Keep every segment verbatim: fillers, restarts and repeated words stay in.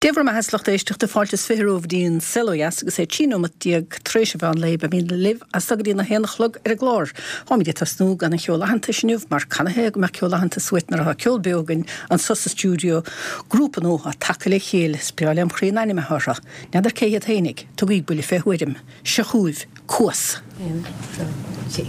Dé bhur mbeatha a lucht éisteachta fáilte is fiche romhaibh go dtí An Saol Ó Dheas agus é trí nóimeat déag tar éis an mheán lae beimid libh as seo go dtí a haon a chlog ar an gclár. Táimid ag tosnú gan an cheol aitheantais inniu mar canathaobh go mbeadh ceol aitheantais uait nuair atá ceol beo againn anso sa stiúideo, grúpa nua atá tagtha le chéile, is breá lem chroí an ainm atá orthu. N'fheadar cé hiad fhéinig, tugaigí buille fé thuairim. Seo chugaibh Cuas. Aon, dó, trí.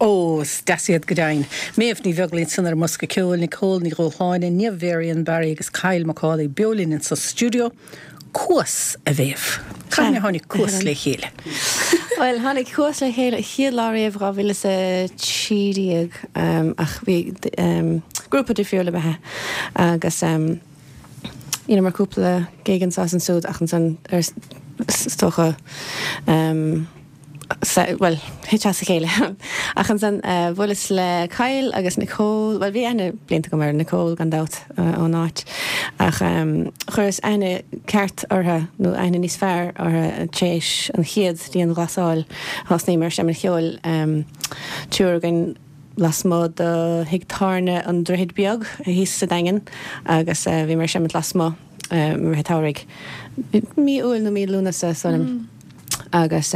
Ó, is deas iad go deimhin. Méabh Ní Bheaglaoich ansan ar an mbosca ceoil, Nicole Ní Dhúshláine, Niamh Varian Barry agus Kyle McCauley beo linn insa stiúideo. Cuas, a Mhéabh. Cathain a tháinig Cuas le chéile? Bhuel, tháinig Cuas le chéile chéad lá riamh dhá mhíle is a trí déag ach bhí grúpa difriúil ab ea agus dheineamar cúpla gig anso is ansúd ach ansan is dócha bhuel, thit sé as a chéile. Ach ansan bhuaileas le Kyle agus Nicole, bhuel bhí aithne blianta agam ar Nicole gan dabht ón áit ach chuireas aithne ceart orthu nó aithne níos fearr orthu tar éis an chéad dianghlasáil. Thosnaíomar ag seinm an cheoil, triúr againn, lasmuigh de thigh tábhairne an Droichead Beag thíos sa Daingean agus bhíomar ag seimint lasmuigh i rith an tsamhraidh, mí Iúil nó mí Lúnasa is dóigh liom. Agus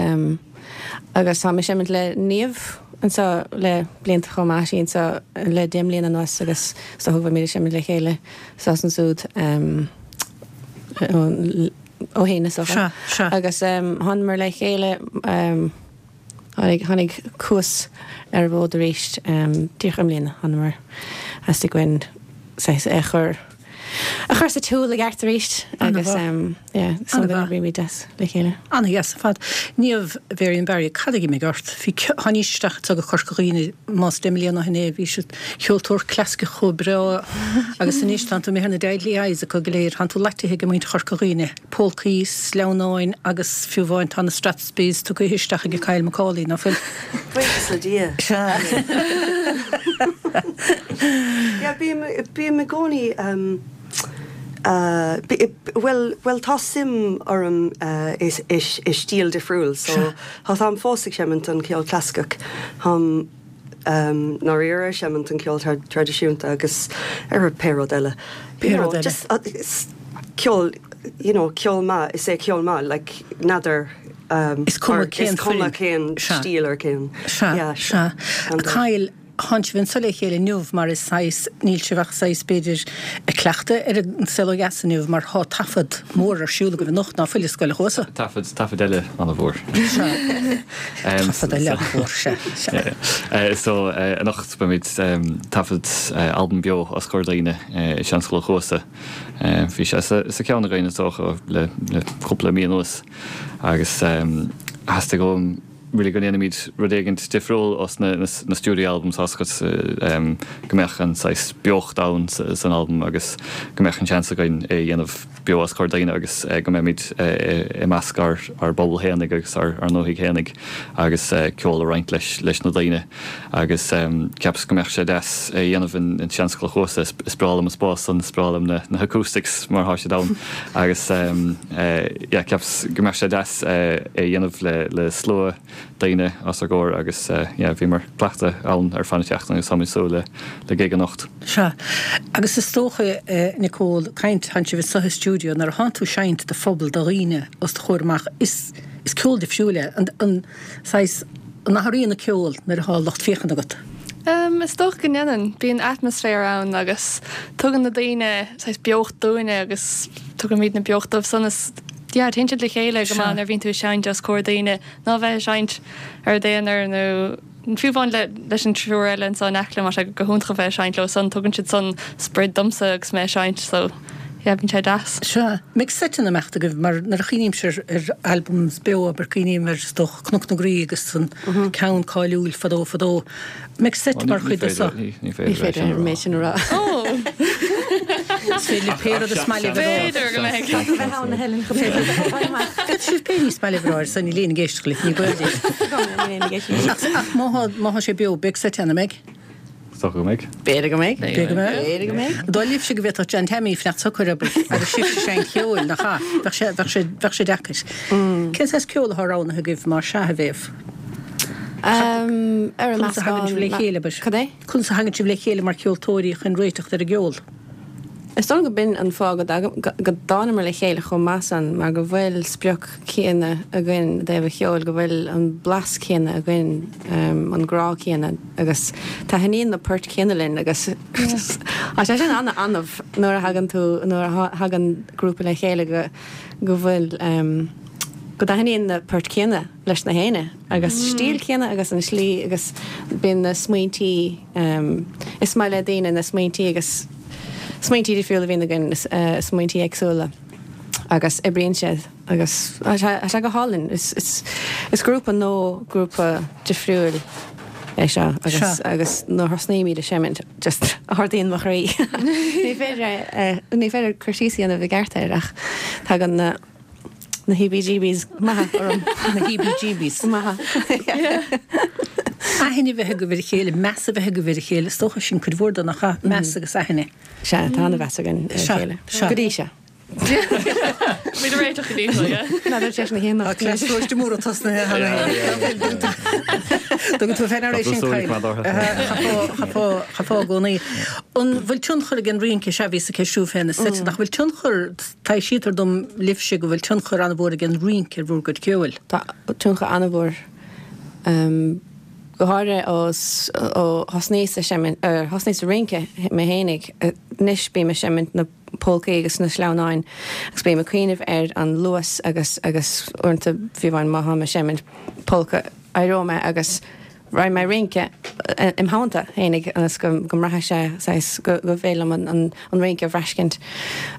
agus táim ag seimint le Niamh anseo le blianta chomh maith, sí anseo le deich mbliana anuas agus is dócha go bhfuilimid ag seimint le chéile anso is ansúd ó shin is dócha. Agus thánamar le chéile. Tháinig, tháinig Cuas ar an bhfód arís díreach i mbliana. Thánamar, theastaigh uainn saghas é a chur, a chur sa tsiúl i gceart arís agus yeah, so go n-oibrímid deas le chéile. Ana-dheas ar fad. Niamh Varian Barry, cad a d'imigh ort? Bhí, tháinís isteach anseo go Corca Dhuibhne, más deich mbliana ó shin é, bhí siad ceoltóir clasaiceach chomh breá agus anois tánn tú imithe ar na deadly eyes acu go léir, tánn tú loitithe ag muintir Chorca Dhuibhne. Polcaí, sleamhnáin agus fiú amháin tá na Strathspeys tugtha isteach ag Kyle Macaulay, ná fuil? Buíochas le Dia. Sea. Yeah, bím, bím i gcónaí um, uh, bhuel, bhuel tá suim orm uh, i, i, i stíl difriúil, so tá táim fós ag seimint an ceol clasaiceach. Táim um, ndáiríre ag seimint an ceol traidisiúnta agus ar pé rud eile. Pé rud eile. Just, uh, ceol, you know, ceol maith, is é ceol maith, like, n'fheadar um, Is cuma cén is cuma foirm. cén Sea. stíl ar cén. Sea, Yeah, sea. And, uh, Kyle, tánn sibh anso le chéile inniu mar is saghas, níl sibh ach saghas b'fhéidir ag cleachtadh ar an saol ó dheas inniu mar thá taifead mór ar siúl agaibh anocht ná fuil i Scoil a' Chuasa. Taifead, taifead eile an-mhór. Sea. Taifead eile an-mhór, sea, sea. Uh, so uh, anocht beimid um, taifead uh, albam beo os comhair daoine uh, i Seanscoil an Chuasa. Uh, bhí sé sa, sa ceann againn is dócha le, le cúpla mí anuas agus um, theastaigh uaim really go ndéanfaimid rud éigin difriúil os na, na, na studio albums oscailt um, go mbeadh an saghas beocht ann sa, san album agus go mbeadh an seans againn é dhéanamh beo os comhair daoine agus uh, go mbeimid uh, i measc ár, ár bpobal fhéinig agus ár, ár ndúthaigh fhéinig agus uh, ceol a roinnt leis, leis na daoine agus um, cheapas go mbeadh sé deas é dhéanamh in, in Seanscoil an Chuasa is, is breá liom an spás an is breá liom na, na acoustics mar thá siad ann agus um, uh, yeah, cheapas go mbeadh sé deas uh, é dhéanamh le, le slua daoine os ár gcomhair agus uh, yeah, bhíomar ag cleachtadh ann ar feadh na seachtaine agus táimid súil le, le gig anocht. Sea. Agus is dócha eh, Nicole, caint tánn sibh sa stiúideo nuair a thánn tú ag seinnt do phobal do dhaoine os do chomhair amach is is ceol difriúil é an an saghas an athraíonn an ceol nuair atá lucht féachana agat. Um, is dócha go ndéanann, bíonn atmaisféar ann agus tugann na daoine saghas beocht dúinne agus tugaimid na beocht dóibh san is yeah, téann siad le chéile go maith nuair a bhíonn tú ag seinnt os comhair daoine ná bheith ag seinnt ar d'aonar nó fiú amháin le leis an triúr eile anso in aice liom, tá sé go hiontach a bheith ag seinnt leo san, tugann siad san sprid domsa agus mé ag seinnt so yeah, bíonn sé deas. Sea, mbeidh seiteanna amach agaibh mar nuair a chuimhnímse ar ar albums beo abair cuimhním ar is dócha Cnoc na Graí agus an ceann cáiliúil fadó fadó. Mbeidh seit mar chuid de seo. Ní Ní féidir an méid sin a rá. Oh! Is féidir libh pé rud is maith libh a rá. B'fhéidir go mbeidh. Bheith ann a Helen go bhféidir. Féadfaidh sibh pé ní is maith libh a rá ar son níl éinne ag éisteacht libh, ní baol daoibh. Ach ach má thá má thá sé beo, beidh seit ann, an mbeidh? Is dócha go mbeidh. B'fhéidir go mbeidh. B'fhéidir go mbeidh. B'fhéidir go mbeidh. An dóigh libhse go bhféadfadh John Tammy fanacht socair abair agus sibhse ag seinnt cheoil, nach ea? Bheadh sé bheadh sé bheadh sé deacair. Cén saghas ceol atá roghnaithe agaibh má sea a Mhéabh? Um, ar an Conas a thagann sibh le meascán chéile, abair? Cad é? Conas a thagann sibh le chéile mar cheoltóirí chun réiteach ar an gceol? Is dóigh go b'in an fáth go go dtánamar le chéile chomh maith san mar go bhfuil sprioc céanna againn i dtaobh an cheoil, go bhfuil an blas céanna againn, um, an grá céanna agus taitníonn na poirt céanna linn agus tá sé sin an-annamh nuair a thagann tú nuair a thagann grúpa le chéile go go bhfuil um, go dtaitníonn na poirt céanna leis na héinne agus stíl céanna agus an slí agus bíonn na smaointí um, is maith le daoine na smaointí agus smaointí difriúla a bhíonn againn uh, smaointí éagsúla agus oibríonn siad agus tá sé tá sé go hálainn is, is, is grúpa nó grúpa difriúil é seo agus Seo. agus nuair a thosnaímid ag seimint just ardaíonn mo chroí. Ní féidir eh, ní féidir cur síos a dhéanamh i gceart air ach tagann na na heebie-jeebies maithe orm. Na heebie-jeebies. Maithe. Aithne bheith agaibh ar a chéile, meas a bheith agaibh ar a chéile, is dócha sin cuid mhór de nach ea, meas agus aithne. Sea, tá an-mheas againn ar a Sea, chéile. sea. Go dtí seo. Bhí réiteach go dtí seo, yeah. N'fheadar sé na chéanna. Tá cleas mór tosnaithe. Tugann tú féin ar é sin Chaithfeá i gcónaí. An bhfuil tionchar ag an rince sea bhíos ag ceistiú féin is suite nach bhfuil tionchar taibhsítear dom libhse go bhfuil tionchar an-mhór ag an rince ar bhur gcuid ceoil. Tá tionchar an-mhór. Go háirithe ó ó thosnaíos ag seimint thosnaíos ag rince mé fhéinig anois bím ag seimint na polcaí agus na sleamhnáin agus bím ag cuimhneamh ar an luas agus agus uaireanta fiú amháin má tháim ag seimint polca éireoidh mé agus raghaidh mé ag rince im theannta fhéinig ionas go go mbraithfidh sé saghas go go bhféidir liom an an an rince a bhraiscint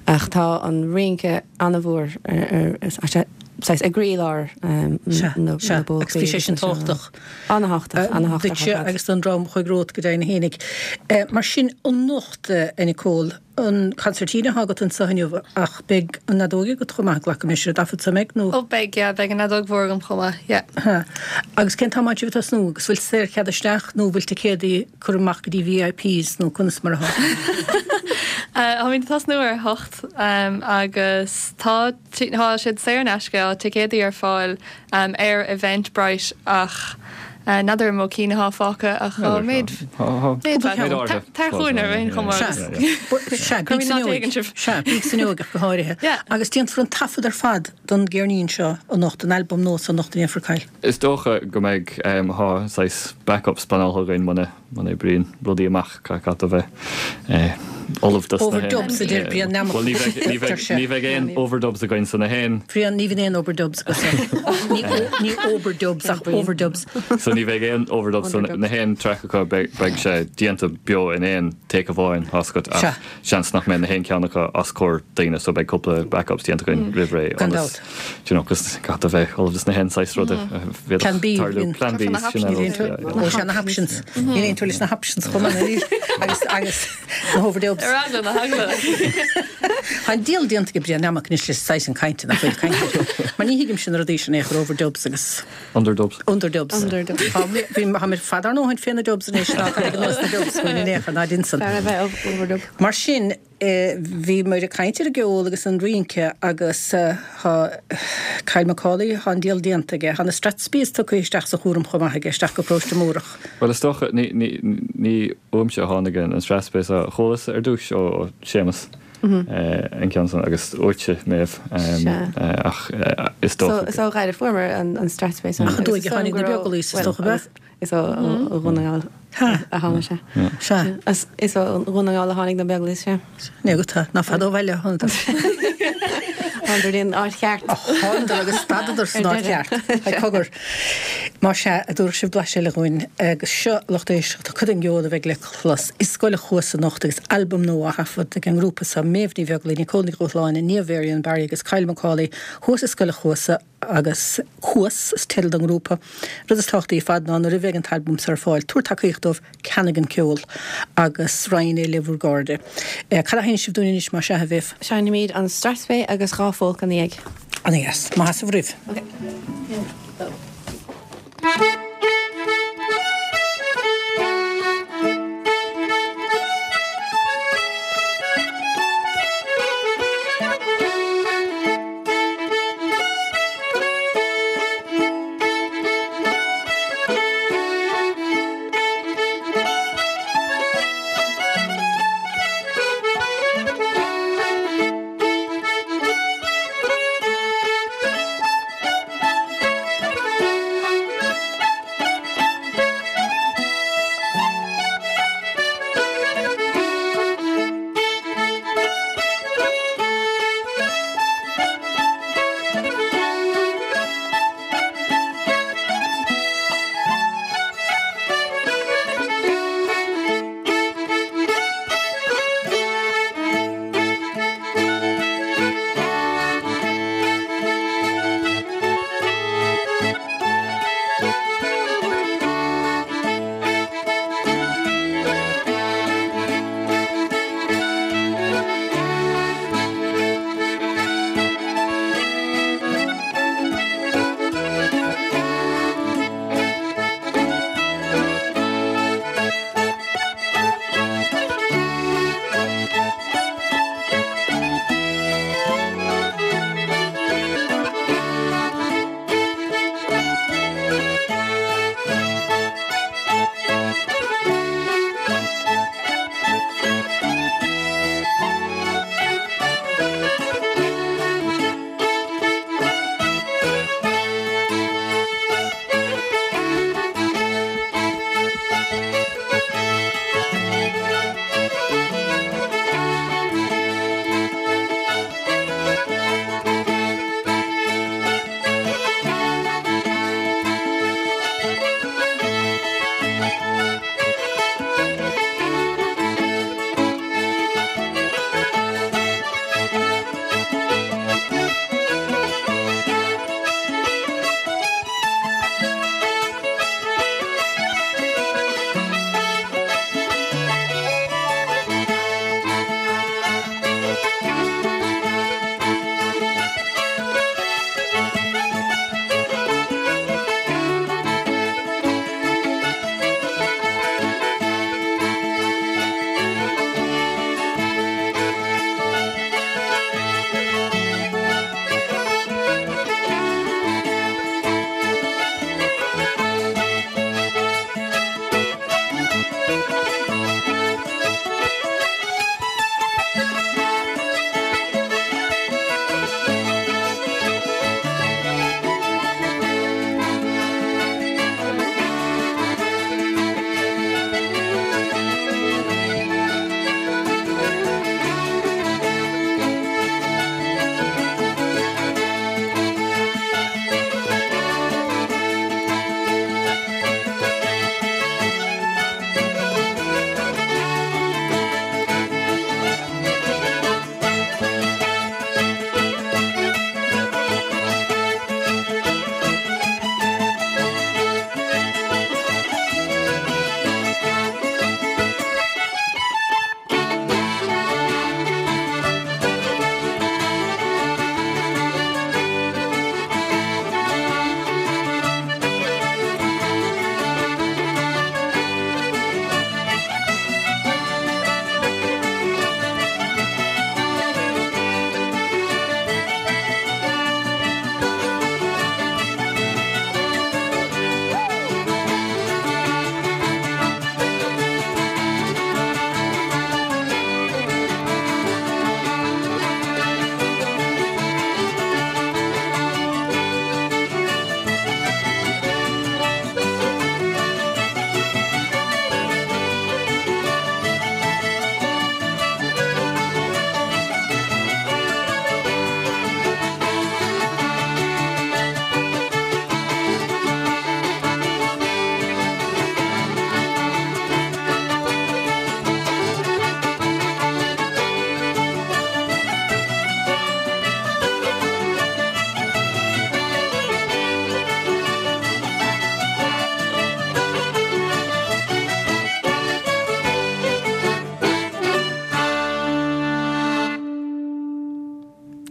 ach tá an rince an-mhór ar ar saghas i gcroílár Sea, na sea, na agus bpolcaí bhí sé sin agus na tábhachtach. An-thábhachtach, an-thábhachtach ar Duitse fad. agus don dream a chuaigh romhat go deimhin fhéinig. Mar sin, anocht, a Nicole, an concertina atá agat anseo inniu ach beidh an fheadóg agat chomh maith, glacaim leis ar an dtaifead so, an mbeidh, nó? Ó beidh, yeah, beidh an fheadóg mhór agam chomh maith, yeah. Ha. Agus cén t-am atá sibh ag tosnú agus bhfuil saorchead isteach nó bhfuil ticéadaí curtha amach go dtí VIPs nó conas mar atá? Táimid ag tosnú ar a hocht agus tá tá siad saor in aisce, tá ticéadaí ar fáil ar Eventbrite ach n'fheadar an mó cinn atá fágtha ach tá méid méid Tar chugainn ar aon chuma agus Sea, bíg san fhuinneog. Sea, bíg san fhuinneog ach go háirithe. Agus déanfar an taifead ar fad don gceirnín seo anocht, an albam nua seo anocht a dhéanfar Kyle. Is dócha go mbeidh, tá saghas backups pleanáilte againn muna muna oibríonn rudaí amach, caithfidh a bheith ullamh dos na Overdubs a deir Brian Nammock. Bhuel ní bheidh, ní bheidh, ní bheidh aon overdubs againn san a haon. Brian, ní bhíonn aon overdubs agat. Ní, ní overdubs ach overdubs. So ní bheidh aon overdubs san na haon track acu beidh, beidh sé déanta beo in aon take amháin tá a fhios agat ach seans nach mbeidh na haon ceann acu os comhair daoine so beidh cúpla backups déanta againn roimh ré Gan ionas dabht. do you know cos caithfidh a bheith ullamh dos na haon saghas rud a Plan bhféadfadh B, tarlú. Plan B, sin é rud, yeah, yeah. Ó sea na hoptions. Níl aon tuar leis na hoptions chomh maith níl agus agus na overdubs. Ar eagla na heagla. Tá an diabhal déanta ag Brian Nammock anois le saghas an cainte nach bhfuil caint. Mar ní thuigimse na rudaí sin é chur overdubs agus Underdubs. Underdubs. Underdubs. Tá bhí tá mé fad ár ndóthain fé na dubs anois ná tá ag nós na dubs faoin in aon chor ná dinsan. Fearr a bheith overdub. Mar sin bhí muid ag caint ar an gceol agus an rince agus tá Kyle McCauley, tá an diabhal déanta aige, tá na Strathspeys tugtha isteach sa chúram chomh maith aige, isteach go Paróiste Múrach. Bhuel is dócha, ní, ní, ní uaimse a tháinig an Strathspey so, chualas ar dtús ó Séamus an ceann san agus uaitse Méabh ach is dócha. So is ó Ghaillimh a fuaireamar an Strathspey san. Ach an dóigh a tháinig na Beaglaoich is dócha ab ea? Is ó Dhún na nGall a tháinig sé. Sea. Is ó Dhún na nGall a tháinig na Beaglaoich, sea. Ní go tá, ná fada ó bhaile a thánadar. Thánadar in áit cheart. Thánadar agus stadadar san áit cheart. Haigh cogar. Más ea, a dtabharfaidh sibh blaiseadh eile dhúinn agus seo lucht éisteachta cuid den gceol a bheidh le clos i Scoil a' Chuasa anocht agus albam nua á thaifead ag an ngrúpa seo, Méabh Ní Bheaglaoich, Nicole Ní Dhúshláine, Niamh Varian Barry agus Kyle McCauley thuas i Scoil a' Chuasa agus Cuas is teideal don ngrúpa. Rud is tábhachtaí ar fad ná nuair a bheidh an t-albam seo ar fáil, tabhair tacaíocht dóibh, ceannaigh an ceol agus roinn é le bhur gcairde. Cad a sheinnfidh sibh dúinn anois más ea, a Mhéabh? Seinnfimid an Strathspey agus dhá phólca ina dhiaidh. Ana dheas. Maith as a bhur roimh. Ok.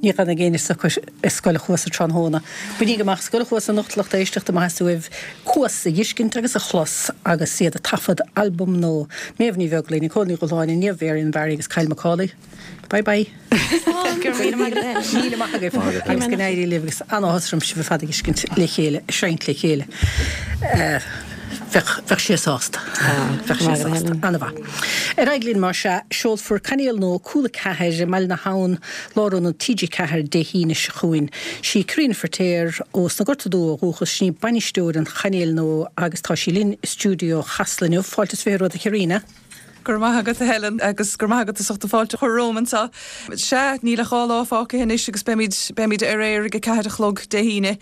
Ní ghanfaidh éinne socair i Scoil an Chuasa tráthnóna. Bainigí amach Scoil an Chuasa anocht lucht éisteachta má theastaíonn uaibh Cuas a fheiscint agus a chlos agus iad ag taifead albam nua. Méabh Ní Bheaglaoich, Nicole Ní Dhubhshláine, Niamh Mharion Barry agus Kyle McCauley. Bye bye. Go raibh míle maith agat. Míle maith agaibh agus go n-éirí libh agus an-áthas orm sibh ar fad a fheiscint le chéile, ag seinnt le chéile. Bheadh, bheadh sé sásta. Bheadh sé sásta. An-mhaith. Ar aghaidh linn mar sea, seolfar cainéal nua Cúla Ceathair i mBaile na hAbhann, Lárionad T G ceathair Dé hAoine seo chugainn. Sí Karina Feirtéar ó sna Gorta Dubha ó dhúchas, sin í bainisteoir an chainéil nua agus tá sí linn i stiúideo Chasla inniu. Fáilte is fiche romhat a Karina. Go raibh maith agat a Helen agus go raibh maith agat as ucht an fáilte a chur romham anseo. Sea, níl ach dhá lá fágtha anois agus beimid, beimid ar aer ag a ceathair a chlog Dé hAoine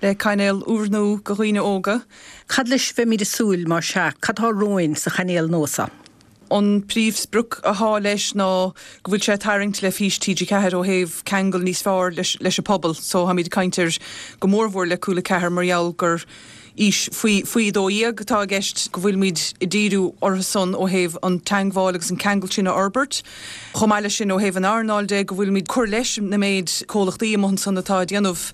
le cainéal úrnua go dhaoine óga. Cad leis a bheimid ag súil, mar sea? Cad tá romhainn sa chainéal nua seo? An príomhsprioc athá leis ná go bhfuil sé ag tarraingt le fís T G ceathair ó thaobh ceangal níos fearr leis, leis an pobal. So táimid ag caint ar go mórmhór le Cúla ceathair mar gheall gur aois faoi faoi dó dhéag atá i gceist, go bhfuilimid ag díriú orthu san ó thaobh an teangmháil agus an ceangal sin a fhorbairt. Chomh maith leis sin ó thaobh an earnáil de, go bhfuilimid cur leis na méid comhlachtaí amuigh ansan atá ag déanamh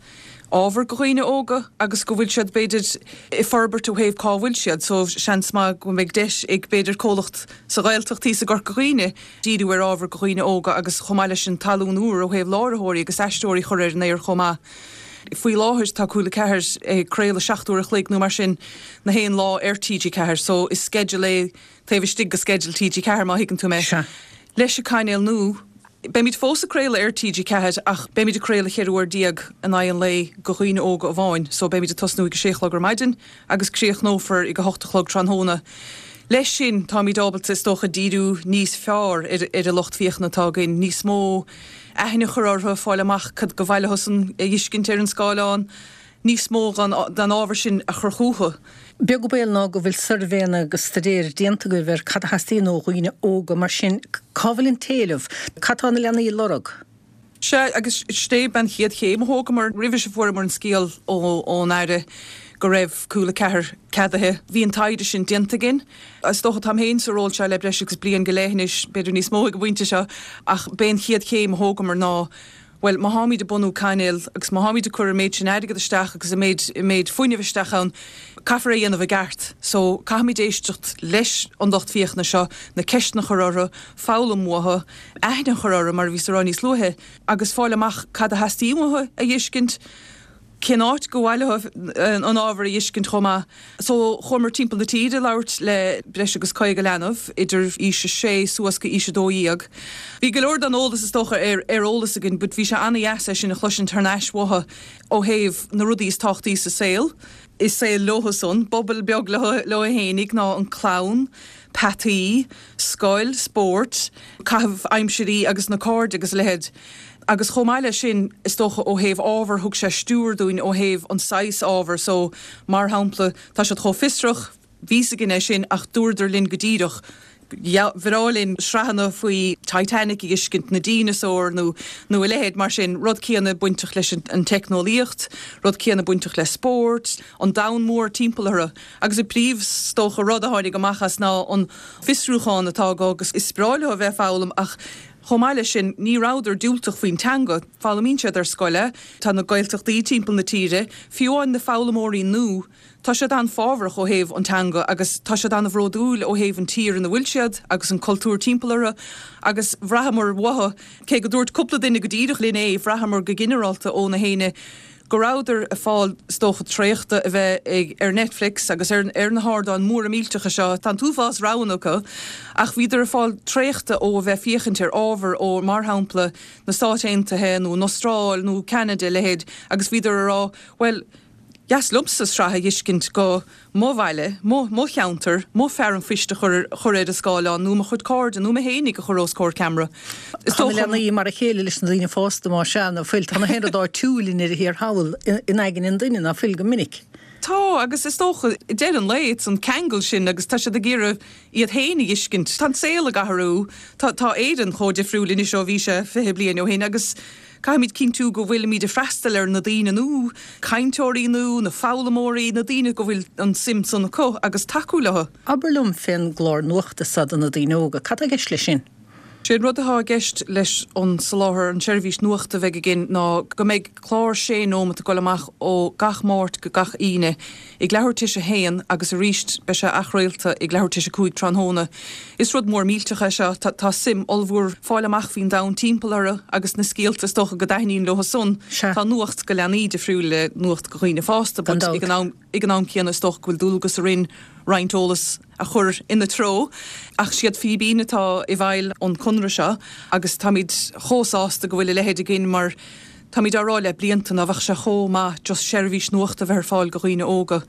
ábhar go dhaoine óga agus go bhfuil siad b'fhéidir ag forbairt ó thaobh cá bhfuil siad. So seans maith go mbeidh deis ag b'fhéidir comhlacht sa Ghaeltacht thíos i gCorca Dhuibhne díriú ar ábhar go dhaoine óga agus chomh maith leis sin talún úr ó thaobh láithreoirí agus aisteoirí a chur ar an aer chomh maith. Faoi láthair tá Cúla ceathair ag craoladh seacht uair a chloig nó mar sin na haon lá ar T G ceathair so is sceideal é taobh istigh de sceideal T G ceathair má thuigeann tú mé. Sea. Leis an cainéal nua, beimid fós ag craoladh ar T G ceathair ach beimid ag craoladh cheithre uair déag in aghaidh an lae go dhaoine óga amháin so beimid ag tosnú ag a sé a chlog ar maidin agus críochnófar ag a hocht a chlog tráthnóna. Leis sin táimid ábalta is dócha díriú níos fearr ar ar an lucht féachana atá againn, níos mó aithne a chur orthu, fáil amach cad go mhaith leosan a fheiscint ar an scáileán, níos mó den den ábhar sin a chur chucu. Beag an baol ná go bhfuil suirbhéanna agus staidéir déanta agaibh ar cad a theastaíonn ó dhaoine óga, mar sin cá bhfuil an t-éileamh? Cad tá na leanaí ag lorg? Sea, agus sin é an chéad chéim a thógamar. Roimhe seo fuaireamar an scéal ón Aire go raibh Cúla ceathair ceadaithe. Bhí an taighde sin déanta againn. Is dócha, táim féin sa ról seo le breis agus bliain go leith anois, b'fhéidir níos mó ag an bpointe seo, ach b'é an chéad chéim a thógamar ná, bhuel, má tháimid ag bunú cainéil agus má tháimid ag cur an méid sin airgead isteach agus an méid, an méid fuinnimh isteach ann, caithfear é a dhéanamh i gceart. So, caithfimid éisteacht leis an lucht féachana seo, na ceisteanna a chur orthu, foghlaim uathu, aithne a chur orthu, mar a bhíos a rá níos luaithe, agus fáil amach cad a theastaíonn uathu a fheiscint, cén áit go mhaith leo an ábhar a fheiscint chomh maith. So, chuamar timpeall na tíre ag labhairt le breis agus caoga leanbh, idir aois a sé suas go aois a dó dhéag. Bhí go leor den eolas is dócha ar ar eolas againn but bhí sé an-dheas é sin a chloisint thar n-ais uathu ó thaobh na rudaí is tábhachtaí sa saol, i saol leo san, bubble beag leo leo fhéinig ná an clann, peataí, scoil, spórt, caitheamh aimsirí agus na cairde agus a leithéid. Agus chomh maith leis sin, is dócha ó thaobh ábhar, thug sé stiúir dúinn ó thaobh an saghas ábhair so, mar shampla, tá siad chomh fiosrach, bhí 'fhios againn é sin ach dúradar linn go díreach, ba bhreá linn sraitheanna faoi Titanic a fheiscint, na díneasóir nó nó a leithéid mar sin, rud céanna bainteach leis an teicneolaíocht, rud céanna bainteach le spórt, an domhan mór timpeall orthu. Agus an príomh, is dócha, rud a tháinig amach as ná an fiosrúchán atá acu agus is breá leo a bheith ag foghlaim ach chomh maith leis sin ní rabhadar diúltach faoin teanga, foghlaimíonn siad ar scoil é, tá na Gaeltachtaí timpeall na tíre, fiú amháin na foghlaimeoirí nua, tá siad an-fhábharach ó thaobh an teanga agus tá siad an-bhródúil ó thaobh an tír ina bhfuil siad agus an cultúr timpeall orthu agus bhraitheamar uathu, cé go dúirt cúpla duine go díreach linn é, bhraitheamar go ginearálta ó na héinne go rabhadar ag fáil is dócha traochta a bheith ag ar Netflix agus ar ar na hardáin mhóra millteacha seo, tá an t-uafás roghanna acu ach bhíodar ag fáil traochta ó a bheith féachaint ar ábhar ó mar shampla na Stáit Aontaithe nó an Astráil nó Ceanada a leithéid agus bhíodar a rá bhuel dheas liomsa sraith a fheiscint go mo bhaile, mo mo cheantar, mo fear an phoist a chur chur ar an scáileán nó mo chuid cairde nó mé fhéinig a chur os comhair ceamara. Is Tá na dócha. leanaí mar a chéile leis na daoine fásta má sea, ná fuil? Tá na haon rud áitiúil i ndeireadh thiar thall in aigne an duine, ná fuil, go minic. Tá, agus is dócha, i deireadh an lae, it's an ceangal sin agus tá siad ag iarraidh iad féin a fheiscint. Tá an saol ag athrú, tá tá Éirinn chomh difriúil anois ó bhí sé fiche bliain ó shin agus caithfimid cinntiú go bhfuilimid ag freastal ar na daoine nua, cainteoirí nua, na foghlaimeoirí, na daoine go bhfuil an suim san acu agus tacú leo. Abair liom fén gclár nuachta seo do na daoine óga, cad tá i gceist leis sin? Sé an rud atá i gceist leis an soláthar, an tseirbhís nuachta a bheidh againn ná go mbeidh clár sé nóimeat ag dul amach ó gach Máirt go gach Aoine ag leathuair tar éis a haon agus arís beidh sé athchraolta ag leathuair tar éis a cúig tráthnóna. Is rud mór millteach é seo. Tá suim ollmhór fáil amach faoin domhan timpeall orthu agus na scéalta is dócha go dtaitníonn leo san. Tá nuacht go leanaí difriúil le nuacht go dhaoine fásta but ag an am ag an am céanna is dócha go bhfuil dualgas orainn roinnt eolas a chur ina treo. Ach siad Fíbín atá i bhfeighil an conradh seo agus táimid chomh sásta go bhfuil a leithéid againn mar táimid á rá le blianta ná bheadh sé chomh maith just seirbhís nuachta a bheith ar fáil go dhaoine óga.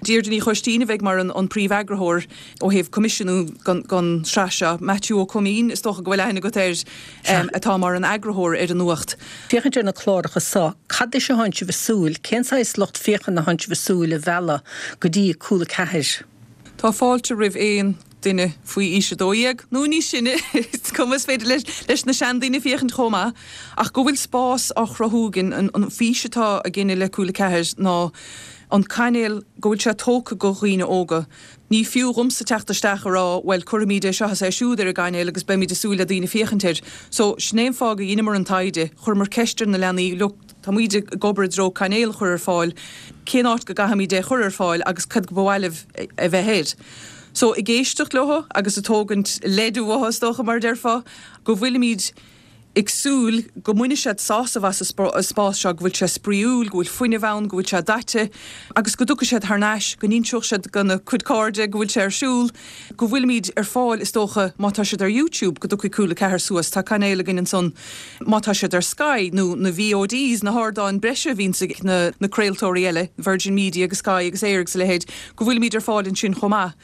Deirdre Ní Choistín a bheidh mar an príomheagarthóir ó thaobh coimisiúnú don tsraith seo. Maitiú Ó Coimín, is dócha go bhfuil aithne agat air, atá mar an eagarthóir ar an nuacht. Féachaint ar na cláracha seo, cad é seo atánn sibh ag súil, cén saghas lucht féachana atánn sibh ag súil a mhealladh go dtí Cúla Ceathair? Tá fáilte roimh aon duine faoi aois a dó dhéag, nó níos sine, is cuma, is féidir leis na seandaoine féachaint chomh maith, ach go bhfuil spás á chruthú againn, an fís atá againne le Cúla Ceathair ná an cainéal go bhfuil sé tógtha go dhaoine óga. Ní fiú dhomsa teacht isteach a rá bhuel cuirfimid é seo is é siúd ar an gcainéal agus beimid ag súil le daoine féachaint air. So sin é an fáth go dheineamar an taighde, chuireamar ceist ar na leanaí, look, táimid ag obair i dtreo cainéal a chur ar fáil, cén áit go gcaithfimid é a chur ar fáil agus cad go ba mhaith libh a bheith air. So ag éisteacht leo agus ag tógaint leid uathu is dócha mar a déarfá, go bhfuilimid ag súil go mbainfidh siad sásamh as an spás seo, go bhfuil sé spraíúil, go bhfuil fuinneamh ann, go bhfuil sé daite agus go dtiocfaidh siad thar n-ais, go n-inseoidh siad gona gcuid cairde go bhfuil sé ar siúl, go bhfuilimid ar fáil is dócha má tá siad ar YouTube go dtiocfaidh Cúla Ceathair suas, tá cainéal againn ansan, má tá siad ar Sky nó na VODs, na hardáin breise a bhíonns ag na craoltóirí eile, Virgin Media agus Sky agus Eir agus a leithéid, go bhfuilimid ar fáil ansin chomh maith.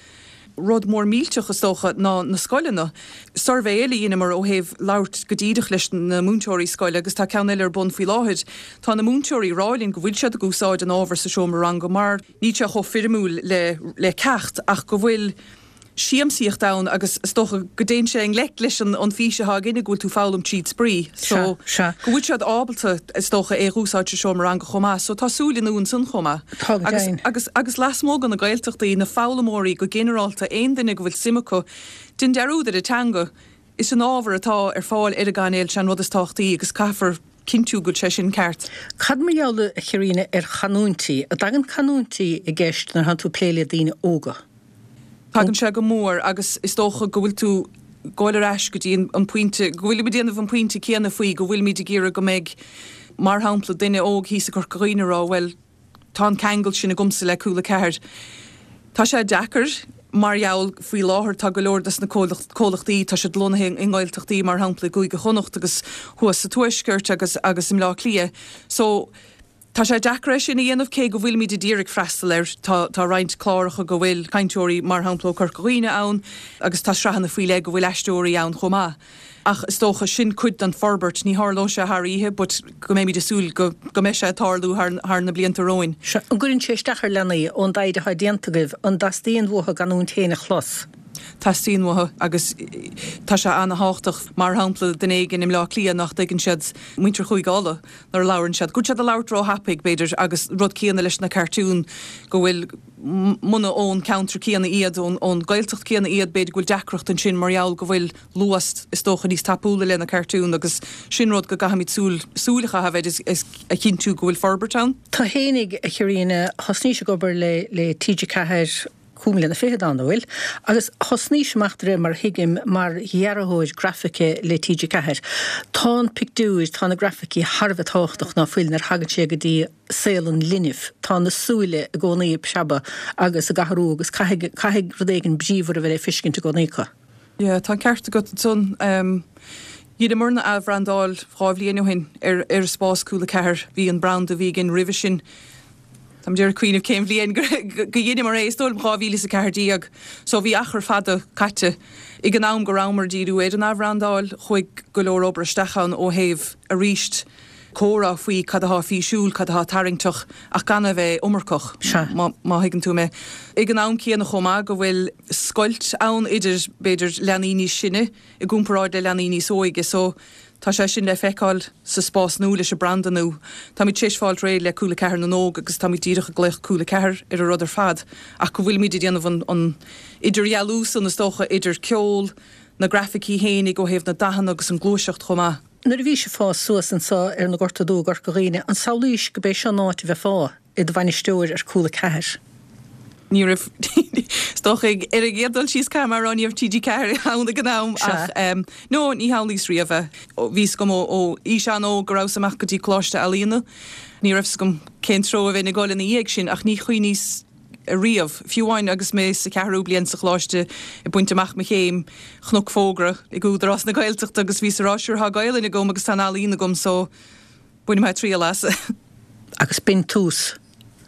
Rud mór millteach, is dócha, ná na scoileanna. Suirbhé eile a dheineamar ó thaobh labhairt go díreach leis na múinteoirí scoile agus tá ceann eile ar bun faoi láthair. Tá na múinteoirí ag rá linn go bhfuil siad ag úsáid an ábhar sa seomra ranga mar níl sé chomh foirmiúil le le ceacht ach go bhfuil siamsaíocht ann agus is dócha go dtéann sé i ngleic leis an fís atá againne go bhfuil tú foghlaim tríd spraoi. So go bhfuil siad ábalta is dócha é a úsáid sa seomra ranga chomh maith. So tá súile nua ansan chomh maith. Tá go Agus deimhin. agus agus lasmuigh de na Gaeltachtaí, na foghlaimeoirí go ginearálta, aon duine go bhfuil suim acu, déan dearúd ar an teanga, is an ábhar atá ar fáil ar an gcainéal sé an rud is tábhachtaí agus caithfear cinntiú go bhfuil sé sin ceart. Cad mar gheall, a Chaitríona, ar chanúintí? An dtagann canúintí i gceist nuair atánn tú ag plé le daoine óga? Tagann sé go mór agus is dócha go bhfuil tú ag goil ar ais go dtí an pointe, go bhfuilimid ag déanamh an pointe céanna faoi go bhfuilimid ag iarraidh go mbeidh, mar shampla, duine óg thíos i gCorca Dhuibhne ag rá bhuel, tá an ceangal sin agamsa le Cúla Ceathair. Tá sé deacair mar gheall faoi láthair tá go leor des na comhlachtaí, tá siad lonnaithe i nGaeltachtaí, mar shampla i gCúige Chonnacht agus thuas sa Tuaisceart agus agus i mBleá Cliath. So, Tá sé deacair é sin a dhéanamh cé go bhfuilimid ag iarraidh freastal air. Tá tá roinnt cláracha go bhfuil cainteoirí, mar shampla ó Corca Dhuibhne ann agus tá sraitheanna faoi leith go bhfuil aisteoirí ann chomh maith. Ach is dócha sin cuid den forbairt, ní tharlóidh sé thar oíche but go mbeimid ag súil go go mbeidh sé ag tarlú thar thar na blianta romhainn. Sea. An gcuireann sé isteach ar leanaí, ón dtaighde atá déanta agaibh, an dteastaíonn uathu a gcanúint féin a chlos? Teastaíonn uathu agus tá sé ana-thábhachtach, mar shampla, duine éigin i mBleá Cliath nach dtuigeann siad muintir Chúige Uladh nuair a labhrann siad, go bhfuil siad ag labhairt ró-thapaidh, b'fhéidir, agus rud céanna leis na cartúin, go bhfuil, muna ón ceantar céanna iad, ón Gaeltacht céanna iad, b'fhéidir go bhfuil deacracht ansin mar gheall go bhfuil luas, is dócha, níos tapúla le na cartúin agus sin rud go gcaithfimid súil, súil a chaitheamh air is a chinntiú go bhfuil forbairt ann. Tú fhéinig, a Chaitríona, thosnaís ag obair le, le T G Ceathair, cúig mbliana fichead ann, an bhfuil? Agus thosnaís amach de réir mar a thuigim mar dhearthóir grafaice le T G Ceathair. Tá an pictiúir, tá na grafaicí thar a bheith tábhachtach ná fuil nuair a thagann sé go dtí saol an linbh. Tá na súile i gcónaí ag preabadh agus ag athrú agus caithfidh, caithfidh rud éigin bríomhar a bheith le feiscint i gcónaí acu. Yeah, tá an ceart agat ansan. Dheineamarna athbhrandáil dhá bhliain ó shin ar ar spás Cúla Ceathair. Bhí an branda a bhí againn roimhe sin, Táim ag iarraidh cuimhneamh cén bhliain go dheineamar é, is dóigh liom dhá mhíle is a ceathair déag. So bhí achar fada caite. Ag an am go rabhamar ag díriú ar an athbhrandáil, chuaigh go leor obair isteach ann ó thaobh, arís, comhrá faoi cad atá físiúil, cad atá tarraingteach ach gan a bheith iomarcach, má thuigeann tú mé. Ag an am céanna chomh maith go bhfuil scoilt ann idir, b'fhéidir, leanaí níos sine i gcomparáid le leanaí níos óige. So Tá sé sin le feiceáil sa spás nua leis an branda nua. Táimid tar éis fáil réidh le Cúla Ceathair na nÓg agus táimid díreach ag glaoch Cúla Ceathair ar an rud ar fad ach go bhfuilimid ag déanamh an idirdhealú san is dócha idir ceol, na grafaicí fhéinig ó thaobh na dathanna agus an gluaiseacht chomh maith. Nuair a bhís ag fás suas anso ar na Gorta Dubha i gCorca Dhuibhne, an samhlaís go b'é seo an áit a bheifeá i do bhainisteoir ar Cúla Ceathair? Ní raibh, is dócha ar an gcéad dul síos caithfidh mé a rá ní raibh TG Ceathair ann ag an am ach no ní shamhlaíos riamh é. Bhí 's agam ó aois an-óg go rabhas amach go dtí Coláiste Ealaíona. Ní raibh 's agam cén treo a bheinn ag dul ina dhiaidh sin ach ní chuimhníos riamh, fiú amháin agus mé sa cheathrú bliain sa choláiste ag baint amach mo chéim, chonac fógra ag Údarás na Gaeltachta agus bhíos ag rá sure tá Gaelainn agam agus tá an ealaín agam so bainfidh mé triail as. Agus b'in tús.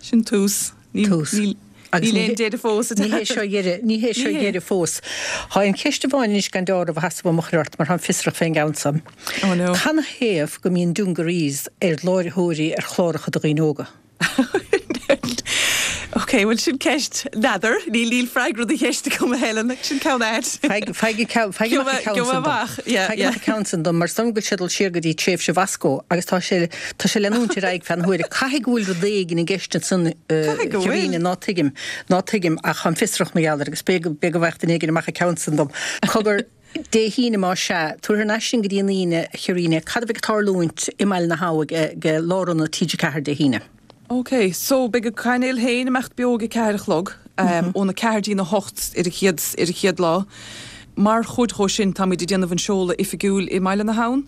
Sin tús. Tús. Níl Agus aon deireadh fós. Ní hé seo dheireadh, ní hé seo dheireadh fós. Tá aon cheist amháin anois gan dealramh a sheasamh amach ort mar táim fiosrach fén gceann san. Oh no. Canathaobh go mbíonn dungarees ar láithreoirí ar chláracha do dhaoine óga? Ok, bhuel sin ceist n'fheadar, níl níl freagra do cheist agam a Helen, sin ceann ait. Faigh faigh ceann faigh amach an ceann sin dom. Yeah, Faigh yeah. amach an ceann sin dom mar is dóigh liom go bhfuil sé ag dul siar go dtí tréimhse Mhoscó agus tá sé tá sé leanúint ar aghaidh feadh na huaire. Caithfidh go bhfuil rud éigin i gceist ansan Caithfidh go bhfuil. Cairine, ná tuigim, ná tuigim ach táim fiosrach mar gheall air agus b'fhéidir b'fhéidir go bhfaigheadh duine éigin amach an ceann sin dom. Cogar, Dé hAoine más ea, tabhair thar n-ais sinn go dtí an Aoine, a Chairine, cad a bheidh ag tarlúint i mBaile na hAbha ag Lárionad TG Ceathair Dé hAoine? Ok, so beidh an cainéal féin ag imeacht beo ag a ceathair a chlog, óna ceathair dtí'n a hocht ar an chéad, ar an chéad lá. Mar chuid dhó sin táimid ag déanamh an seoladh oifigiúil i mBaile na hAbhann.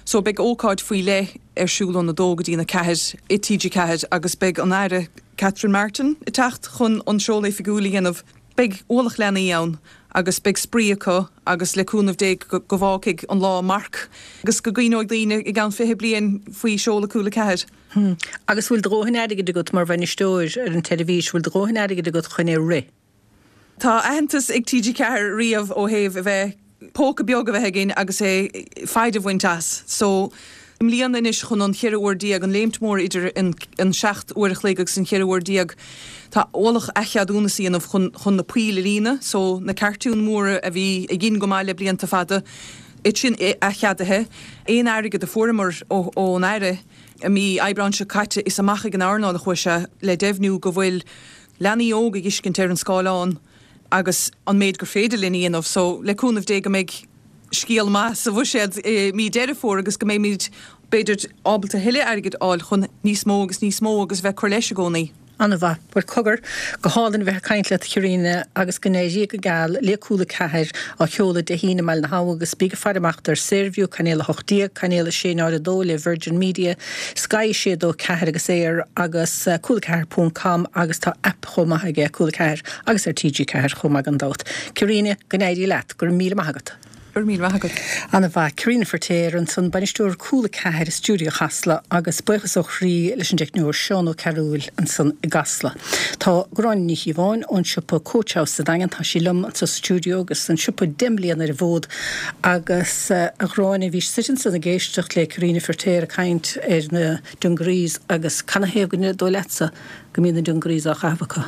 So beidh ócáid faoi leith ar siúl óna dó go dtí'n a ceathair i TG Ceathair agus beidh an Aire Catherine Martin ag teacht chun an seoladh oifigiúil a dhéanamh. Beidh ualach leanaí ann agus beidh spraoi acu agus le cúnamh Dé go bhfágfaidh an lá marc agus go gcuimhneoidh daoine i gceann fiche bliain faoi seoladh Cúla Ceathair. Hmm. Agus bhfuil do dhóthain airgid agat mar bhainisteoir ar an tseirbhís, bhfuil do dhóthain airgid agat chun é rith? Tá aitheantas ag TG Ceathair riamh ó thaobh a bheith póca beag a bheith againn agus é feidhm a bhaint as. So, i mbliana anois chun an cheithre uair déag, an léimt mór idir an an seacht uair a chloig agus an cheithre uair déag, tá ualach athcheadúnas a dhéanamh chun chun na poill a líonadh. So, na cartúin mhóra a bhí a dhein go maith le blianta fada, iad sin athcheadaithe. Aon airgead a fuaireamar ó ón Aire i mí Aibreáin seo caite, is amach ag an earnáil a chuaigh sé le deimhniú go bhfuil leanaí óga ag fheiscint ar an scáileán agus an méid gur féidir linn a dhéanamh. So, le cúnamh Dé go mbeidh scéal maith sa bhuiséad i mí Deireadh Fómhair agus go mbeimid, b'fhéidir, ábalta thuilleadh airgid a fháil chun níos mó agus níos mó agus bheith ag cur leis i gcónaí. An-mhaith. Bhuel, cogar, go hálainn a bheith ag caint leat, a Chairine, agus go n-éirí go geal le Cúla Ceathair á sheoladh Dé hAoine i mBaile na hAbha agus bíg ag faire amach ar Saorview, Cainéal a hocht déag, Cainéal a sé náid a dó le Virgin Media, Sky a sé dó ceathair agus Eir agus Cúla Ceathair ponc com agus tá aip chomh maith aige Cúla Ceathair agus ar TG Ceathair chomh maith gan dabht. Cairine, go n-éirí leat. Go raibh míle maith agat. Go raibh míle maith agat. Ana-mhaith. Cairine Feiritéar ansan, Bainisteoir Cúla Ceathair i stiúideo Chasla agus buíochas ó chroí leis an dteicneoir Seán Ó Cearúil ansan i gCasla. Tá Gráinne Ní Chíobháin ón siopa Coach House sa Daingean, tá sí liom anso sa stiúideo agus an siopa deich mbliana ar an bhfód agus a Ghráinne, bhís suite ansan ag éisteacht le Cairine Feiritéar ag caint ar na dungarees agus canathaobh go dóigh leatsa go mbíonn na dungarees á chaitheamh acu?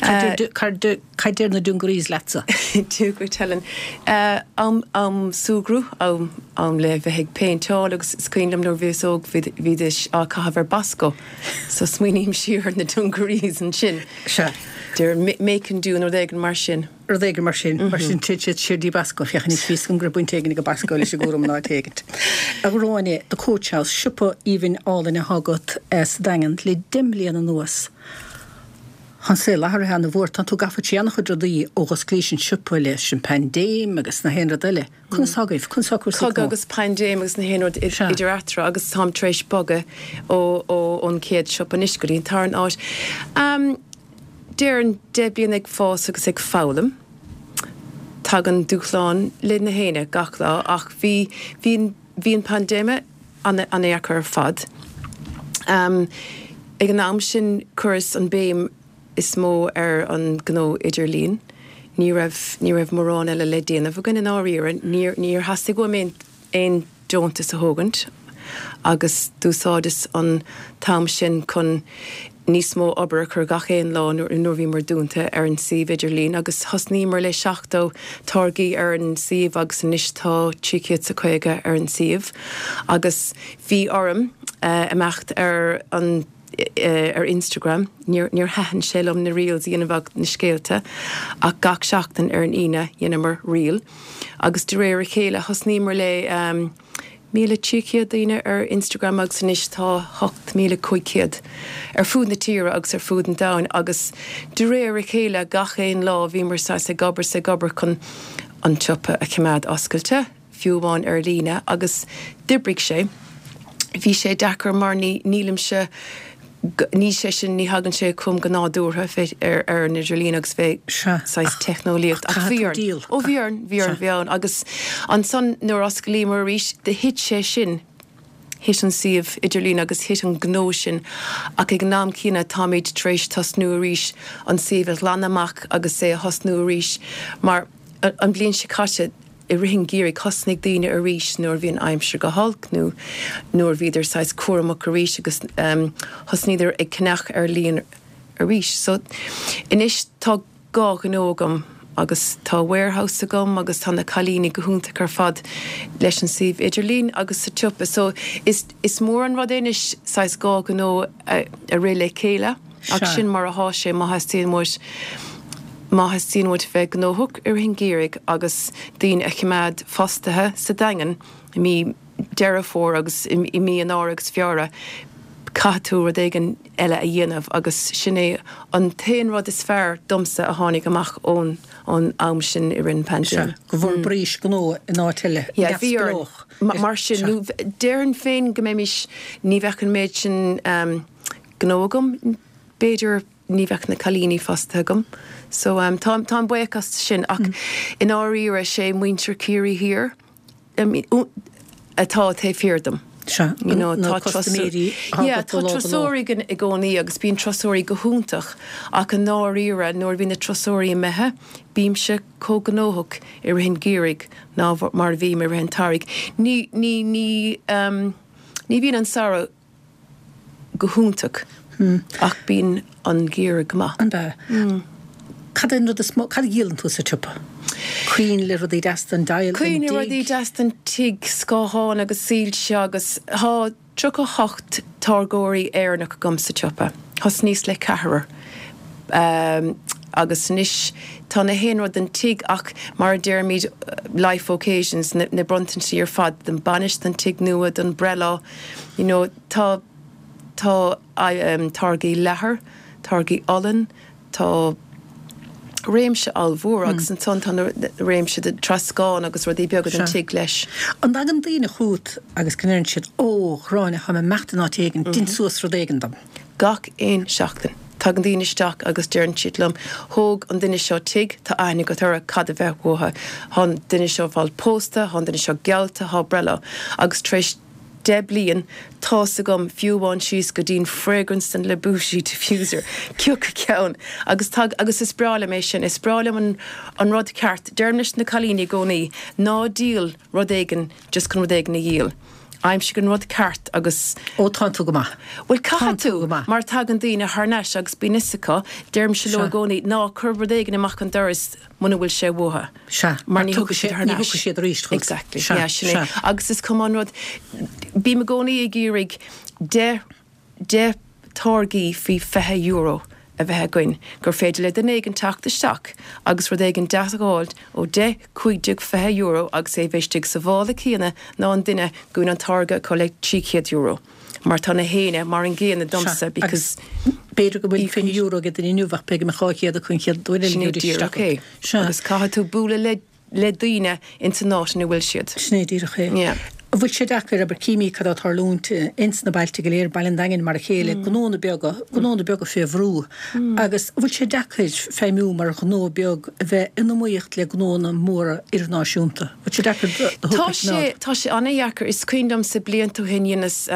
Cad deir na dungarees leatsa? Dia dhuit Helen. Am am súgradh, am am le bheith ag péinteáil agus is cuimhin liom nuair a bhíos óg bhídís á caitheamh ar Bosco so smaoiním siar ar na dungarees ansin. Sea. Deir make and do nó rud éigin mar sin. Rud éigin mar sin. Mar sin téann siad siar dtí Bosco. Féach anois bhí 'fhios agam go raibh baint éigin ag Bosco leis an gcúram in áit éigint. A Ghráinne, The Coach House, siopa aoibhinn álainn atá agat sa Daingean le deich mbliana anuas. Tá an saol athraithe ana-mhór. Tá tú gafa trí an-chuid rudaí ó dh'osclaís an siopa leis an paindéim agus na haon rud eile. Conas tá agaibh? Conas tá cúrsaí Cogadh agus paindéim agus na haon rud idir eatarthu agus táim tar éis bogadh ó ón chéad siopa anois go dtí an tarna áit. Déarfainn deich bliana ag fás agus ag foghlaim. Tagann dúshlán le na héinne gach lá ach bhí bhí bhí an paindéim an-deacair ar fad. Ag an am sin chuireas an béim is mó ar an gnó idirlín. Ní raibh ní raibh mórán eile le déanamh againn i ndáiríre. Níor níor theastaigh uaim aon aon deontas a thógaint agus d'úsáideas an t-am sin chun níos mó obair a chur gach aon lá nuair nuair bhíomar dúnta ar an suíomh idirlín agus thosnaíomar le seachtó táirgí ar an suíomh agus anois tá trí chéad 's a caoga ar an suíomh agus bhí orm imeacht ar an ar Instagram, níor níor thaitin sé liom na reels a dhéanamh na scéalta ach gach seachtain ar an Aoine dhéanamar reel. Agus de réir a chéile thosnaíomar le um, míle trí chéad daoine ar Instagram agus anois tá hocht míle cúig chéad ar fud na tíre agus ar fud an domhain agus de réir a chéile gach aon lá bhíomar saghas ag obair 's ag obair chun an tsiopa a choimeád oscailte, fiú amháin ar líne agus d'oibrigh sé. Bhí sé deacair mar ní nílimse ní sé sin ní thagann sé chugam go nádúrtha bheith ar ar an idirlíon agus bheith saghas teicneolaíocht ach bhí orainn. Ó bhí orainn, bhí orainn, bhí ann agus ansan nuair a osclaíomar arís do thit sé sin, thit an suíomh idirlín agus thit an gnó sin ach ag an am céanna táimid tar éis tosnú arís an suíomh a ghlanadh amach agus é a thosnú arís mar an bhliain seo caite i rith an gheimhridh thosnaigh daoine arís nuair a bhí an aimsir go holc nó nuair a bhíodar saghas cúramach arís agus thosnaíodar ag ceannach ar líne arís. So anois tá dhá ghnó agam agus tá warehouse agam agus tá na cailíní go hiontach ar fad leis an suíomh idirlín agus sa tsiopa. So is is mór an rud é anois saghas dhá ghnó a a rith le chéile ach sin mar atá sé má theastaíonn uait Má theastaíonn uait bheith gnóthach i rith an gheimhridh agus daoine a choimeád fostaithe sa Daingean i mí Deireadh Fómhair agus i mí Eanáir agus Feabhra, caithfidh tú rud éigin eile a dhéanamh agus sin é an t-aon rud is fearr domsa a tháinig amach ón ón am sin i rith an phaindéim. Sea, go bhforbraís gnó in áit eile, neamhspleách. Mar sin, nó déarfainn féin go mbeimis, ní bheadh an méid sin gnó agam, b'fhéidir, ní bheadh na cailíní fostaithe agam. So um, táim, táim buíoch as sin ach mm. i ndáiríre sé muintir Ciarraí Thiar atá taobh thiar dom. Sea, You know, na tá custaiméirí Yeah, tá turasóirí i gcónaí agus bíonn turasóirí go hiontach ach i ndáiríre nuair a bhíonn na turasóirí imithe, bímse chomh gnóthach i rith an gheimhridh ná mar a bhím i rith an tsamhraidh. Ní, ní, ní, um, ní bhíonn an samhradh go hiontach ach bíonn an geimhreadh go maith. An ea? Cad é an rud is mó, cad a dhíolann tú sa tsiopa? Coinnle, rudaí deasa don dteaghlach, don Coinnle, dtigh? rudaí deasa don tigh, scátháin agus soilse agus tá tríocha hocht táirgeoirí Éireannach agam sa tsiopa. Thosnaíos le ceathrar agus anois tá na haon rud don tigh ach mar a deirimid life occasions, na bronntaintí ar fad don bainis, don tigh nua, don breithlá, you know tá Tá táirgí leathair, táirgí olann, tá réimse ollmhór agus ansan tá na réimse de troscán agus rudaí beaga don tigh leis. An dtagann daoine chugat agus go ndeireann siad, Ó, a Ghráinne, táim ag imeacht in áit éigin, dein suas rud éigin dom? Gach aon seachtain. Tagann daoine isteach agus deireann siad liom, thóg an duine seo tigh, tá aithne agat orthu, cad a bheadh uathu? Tá an duine seo ag fáil pósta, tá an duine seo geallta, tá breithlá. Agus tar éis deich bliain, tá's agam, fiú amháin síos go dtí'n fragrance den Le Bougie diffuser, cioca ceann, agus tá, agus is breá liom é sin, is breá liom an, an rud ceart, deirim leis na cailíní i gcónaí, ná díol rud éigin just chun rud éigin a dhíol, aimsigh an rud ceart agus. Ó, tánn tú go maith. Bhuel, Tánn caithfidh tú tú, go maith. mar tagann daoine thar n-ais agus bíonn fhios acu, deirimse leo Sea. i gcónaí, ná cuir rud éigin amach an doras muna bhfuil sé uathu. Sea, mar mar ní tiocfaidh thiocfaidh siad sé, thar ní n-ais. thiocfaidh siad arís chugat. Exactly, Sea, yeah, sin é. sea. Agus is cuma an rud, bím i gcónaí ag iarraidh deich, deich táirgí faoi fiche euro a bheith againn, gur féidir le duine éigin teacht isteach agus rud éigin deas a fháil ó deich, cúig déag, fiche euro agus é bheith istigh sa mhála céanna ná an duine go bhfuil an táirge acu le trí chéad euro. Mar tá na héinne mar an gcéanna Sea, domsa agus because b'fhéidir go bhfuil fiche euro ag duine inniu ach b'fhéidir go mbeadh dhá chéad acu an chéad uair eile Sin é go dtí díreach isteach. é. Sea. Agus caithfidh tú bualadh le le daoine ins an áit ina bhfuil siad. Sin é díreach é. Yeah. An bhfuil sé deacair, abair, címid cad atá ag tarlúint ins na bailte go léir, Baile an Daingin mar a chéile, gnónna beaga, gnónna beaga fé bhrú, agus an bhfuil sé deacair feidhmiú mar ghnó beag a bheith in iomaíocht le gnónna móra idirnáisiúnta? Bhfuil sé deacair do Tá do shórt a sé, choimeád? tá sé an-dheacair. Is cuimhin liomsa blianta ó shin dheineas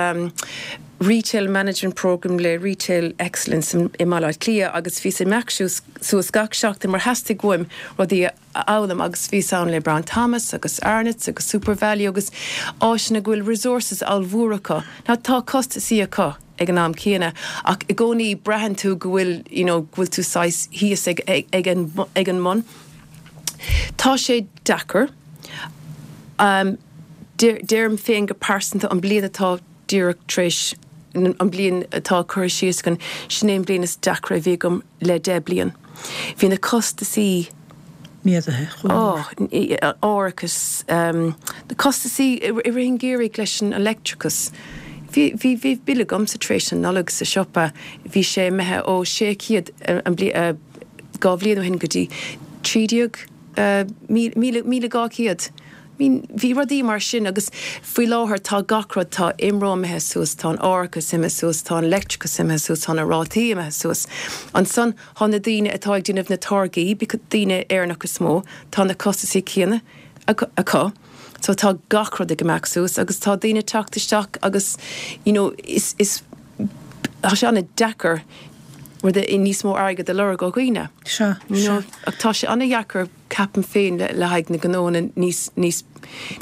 Retail Management Programme le Retail Excellence i mBaile Átha Cliath agus bhíos ag imeacht suas gach seachtain mar theastaigh uaim rudaí a fhoghlaim agus bhíos ann le Brown Thomas agus Arnotts agus SuperValu agus áiteanna go bhfuil resources ollmhór acu. Now tá costasaí acu ag an am céanna ach i gcónaí braitheann tú go bhfuil you know go bhfuil tú saghas thíos ag ag an ag an mbun. Tá sé deacair. Um, deirim féin go pearsanta an bliain atá díreach tar éis an bliain atá curtha síos againn, sin é an bliain is deacra a bhí agam le deich bliain. Bhí na costasaí méadaithe chomh mór. Árachas, na costasaí i rith an gheimhridh leis an leictreachas. Bhí bhí bhí bille agamsa tar éis an Nollag sa siopa, bhí sé imithe ó sé chéad an bhliain dhá bhliain ó shin go dtí trí déag míle míle dhá chéad. Bhí rudaí mar sin agus faoi láthair tá gach rud, tá IMRO imithe suas, tá an árachas imithe suas, tá an leictreachas imithe suas, tá na rátaí imithe suas. Ansan tá na daoine atá ag déanamh na táirgí, daoine Éireannach is mó, tá na costasaí céanna acu. So tá gach rud ag imeacht suas agus tá daoine ag teacht isteach agus you know is, is, tá sé an-deacair rud níos mó airgead a lorg ó dhaoine. Sea, sea. Ach tá sé an-dheacair, ceapaim féin, le haghaidh na gnóanna níos, níos,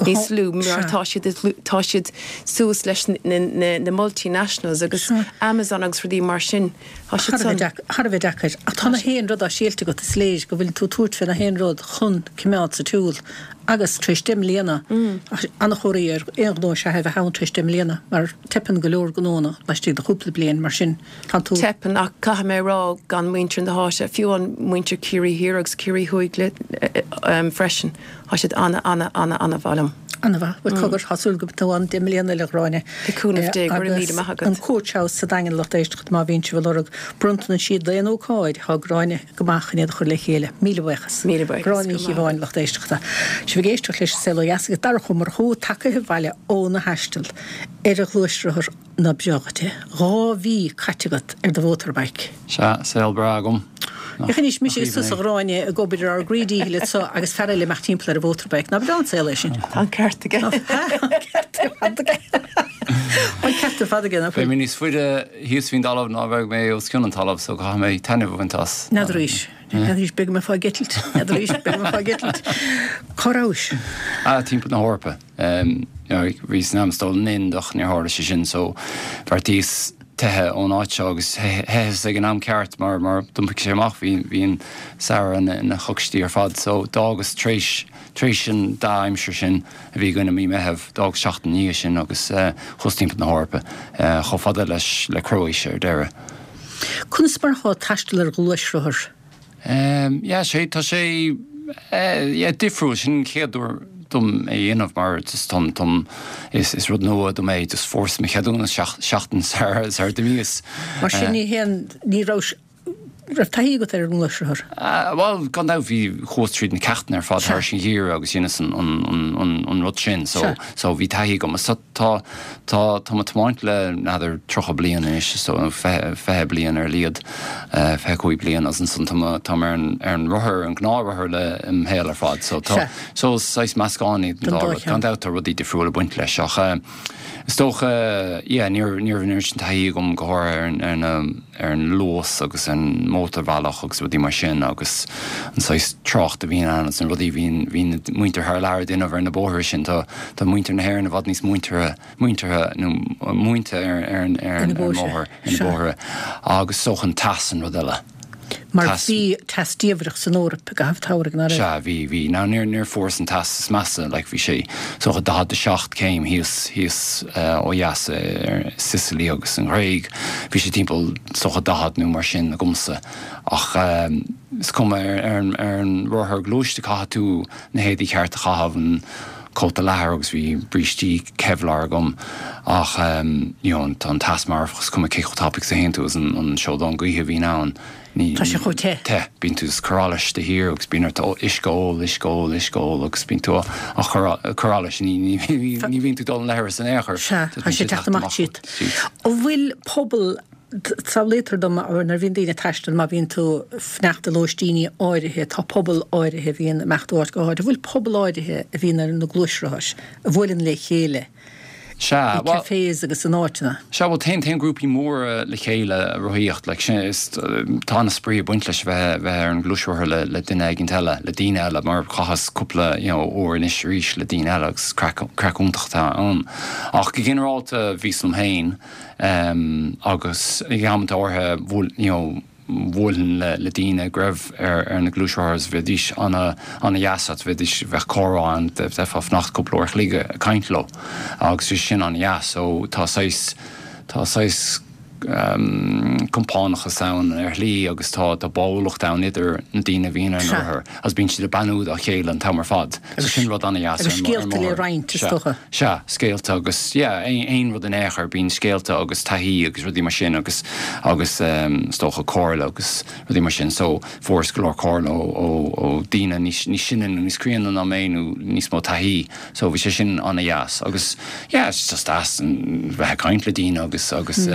níos lú mar tá siad, tá siad suas leis na, na, na multinationals agus Amazon agus rudaí mar sin. Tá siad san. Thar a bheith deacair. Ach tá na haon rud á seilt agat, is léir go bhfuil tú ag tabhairt fé na haon rud chun coimeád sa tsiúl agus tar éis deich mbliana, an-chomhartha ar aon ghnó is ea é a bheith ann tar éis deich mbliana mar teipeann go leor gnónna laistigh de chúpla bliain mar sin tá tú. Teipeann ach caithfidh mé a rá gan muintir na háite, fiú an muintir Ciarraí Thiar agus Ciarraí Thuaidh le freisin, tá siad ana ana ana ana mhaith liom. Ana-mhaith. Bhuel cogar, tá súil go mbeidh tú ann deich mbliana eile a Ghráinne. Le cúnamh Dé, go raibh míle maith agat. An Coach House sa Daingean lucht éisteachta má bhíonn sibh ag lorg bronntanais d'aon ócáid, tá Gráinne go maith chun iad a chur le chéile. Míle buíochas. Míle buíochas. Gráinne Ní Chíobháin, lucht éisteachta. Sibh ag éisteacht leis an Saol Ó Dheas agus Darach Ó Murchú tagaithe abhaile óna thaisteal ar a ghluaisrothar ná breá dhuit é. Dhá mhí caite agat ar do mhótorbike. Sea, saol breá agam. Féach anois, mise agus tusa a Ghráinne ag obair ar ár gcroí díchill anso agus fear eile imeacht timpeall ar a mhótorbike. Ná breá an saol é sin? Tá an ceart aige. Tá an ceart ar fad aige. Tá an ceart ar fad aige, nach bhfuil? Beidh mé níos faide thíos faoin dtalamh ná a bheidh mé os cionn an talaimh so caithfidh mé taitneamh a bhaint as. N'fheadaraís. N'fheadaraís, beidh mé fá eitilt. N'fheadaraís, beidh mé fá eitilt. Cá rabhais? Ah, timpeall na hEorpa. Bhíos in ainm is dul an Ind ach níor tharla sé sin so bheartaíos teitheadh ón áit seo agus theitheas ag an am ceart mar mar d'iompaigh sé amach bhí bhí an samhradh ina ina choicstí ar fad so d'fhágas tar éis tar éis an dea-aimsir sin a bhí againn i mí Meitheamh d'fhágas seachtain ina dhiaidh sin agus chuas timpeall na hEorpa chomh fada leis le Croatia ar deireadh. Conas mar atá taisteal ar ghluaisrothar? Yeah sé tá sé yeah difriúil sin an chéad uair dom é a dhéanamh mar just táim táim is is rud nua dom é just fuaireas mo cheadúnas seachtain sar sar d'imíos. Mar sin ní haon ní raibh raibh taithí agat ar an ngluaisrothar? Bhuel gan dabht bhí chuas tríd na ceachtanna ar fad thar an gheimhreadh agus dheineas an an an an an rud sin so so bhí taithí agam so tá tá tá mé ag tiomáint le n'fheadar tríocha bliain anois so nó fiche fiche bliain ar a laghad fiche cúig bliain agus ansan tá mé tá mé ar an ar an rothar an gnáthrothar le im shaol ar fad so tá So is saghas meascán iad an dá rud. Gan dabht tá rudaí difriúla ag baint leis ach is dócha yeah ní raibh ní raibh an oiread sin taithí agam go háirithe ar an ar na ar an luas agus an mótarbhealach agus rudaí mar sin agus an saghas trácht a bhíonn ann agus na rudaí a bhíonn bhíonn na muintir thar lear ag déanamh ar na bóithre sin. Tá tá muintir na hÉireann i bhfad níos muinteartha muinteartha nó múinte ar ar an ar an mbóthar ar na bóithre agus is dócha an teas an rud eile. Mar bhí teas diamhrach san Eoraip i gcaitheamh an tsamhraidh, ná raibh? Sea, bhí, bhí. Now níor, níor fuaireas an teas is measa, like bhí sé is dócha daichead a seacht céim thíos, thíos ó dheas ar Sicily agus an Ghréig. Bhí sé timpeall is dócha daichead nó mar sin agamsa. Ach is cuma, ar, ar an, ar an rothar gluaiste caithfidh tú na héadaí ceart a chaitheamh, an, cóta leathair agus bhí brístí Kevlar agam ach you know tá an teas marfach is cuma cé chomh tapaidh is a théann tú agus an seodán gaoithe a bhíonn ann ní Tá sé chomh te. te bíonn tú ag cur allais de shíor agus bíonn ort uisce a ól uisce a ól uisce a ól agus bíonn tú á cur allais ní ní ní bhíonn tú ag dul an leithreas in aon chor. Sea, tá sé ag teacht amach tríot. An bhfuil pobal Samhlaítear dom nuair a bhíonn daoine ag taisteal, má bhíonn tú fanacht i lóistíní áirithe, tá pobal áirithe a bhíonn ag imeacht ó áit go háit. An bhfuil pobal áirithe a bhíonn ar na gluaisrothair, a bhuaileann le chéile Sea, i bhuel. cafés agus in áiteanna? Sea, bhuel, téann, téann grúpaí móra le chéile ag rothaíocht, like, sin, is, tá an-spraoi ag baint leis a bheith, bheith ar an ghluaisrothar le, le duine éigint eile, le daoine eile, mar chaitheas cúpla, you know, uair anois arís le daoine eile agus craic, craic iontach atá ann. Ach go ginearálta bhíos liom féin. Agus ag amanta áirithe bhuail, you know, bhuailfinn le, le daoine go raibh ar, ar na gluaisrothair agus bheidís ana, ana dheas leat, bheidís, bheadh comhrá ann, bheifeá ag fanacht cúpla uair a chloig ag caint leo agus bhí sin ana dheas. So tá saghas, tá saghas compánachas ann ar shlí agus tá tá báúlacht ann idir na daoine a bhíonn ar an rothar agus bíonn siad ag beannú dá chéile an t-am ar fad. So sin rud an-dheas ar an Agus scéalta le roinnt is dócha. Sea, scéalta agus yeah, aon rud in aon chor, bíonn scéalta agus taithí agus rudaí mar sin agus agus is dócha comhairle agus rudaí mar sin. So fuaireas go leor comhairle ó ó ó daoine níos níos sine nó níos críonna ná mé nó níos mó taithí. So bhí sé sin an-dheas agus yeah, it's just deas bheith ag caint le daoine agus agus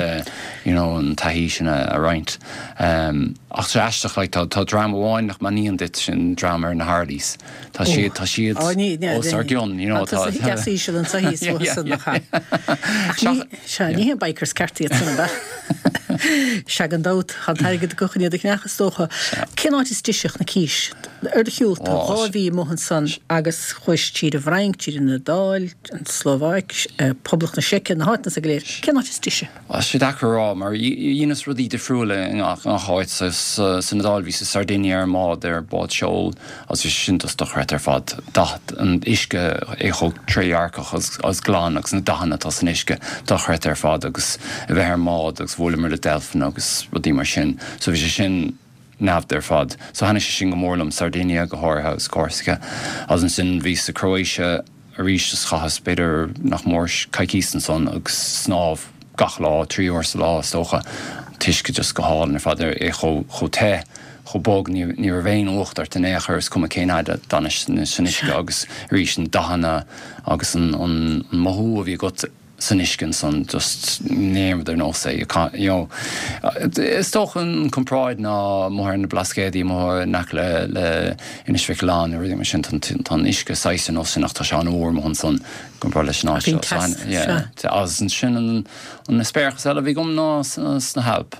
you know an taithí sin a a roinnt. Um, ach tá aisteach like tá tá dream amháin nach mbeannaíonn duit sin dream ar na Harleys. Tá siad tá siad Ó, ní- ní- os ár gcionn, you know, Tá tá deas íseal an saothas Yeah, yeah, san yeah. nach Ach ní sea, ní hé bikers ceart iad san ab ea? Sea gan dabht, tá an t-airgead acu chun iad a cheannach is dócha. Cén áit is deise chun na cís? Ar do shiúl tá Ó, dhá mhí amuigh ansan agus chuais tríd an bhFrainc, tríd an Iodáil, an tSlóvaic, Poblacht na Seice, na háiteanna san go léir. Cén áit is deise? Tá sé deacair a rá mar dheineas rudaí difriúla i ngach áit. San Iodáil bhíos i Sardinia ar an mbád, ar bád seoil agus bhí sé sin just dochreidte ar fad. Dath an uisce é chomh trédhearcach agus glan agus na dathanna atá san uisce dochreidte ar fad agus a bheith ar an mbád agus bhuaileamar le deilfeanna agus rudaí mar sin. So bhí sé sin neamhda ar fad. So thaitnigh sé sin go mór liom, Sardinia go háirithe agus Corsica. Agus ansin bhíos sa Croatia arís is chaitheas b'fhéidir nach mór coicís ansan agus snámh gach lá, trí uair sa lá is dócha. An t-uisce just go hálainn ar fad, é chomh te, chomh bog, ní ní raibh aon fhuacht ort in aon chor, is cuma cén fhad a d'fhanais san uisce agus arís na dathanna agus an an mothú a bhí agat san uisce ansan just níl aon rud ar nós é, you know. Is dócha an comparáid ná amuigh ar na Blascaodaí amuigh in aice le le Inis Mhic Aoláin nó rudaí mar sin, tá an uisce saghas ar nós sin ach tá sé an-fhuar amuigh ansan i gcomparáid leis an áit Bíonn seo. So, teas, yeah, sea. Agus ansin an an eispéireas eile a bhí agam ná sna hAilp.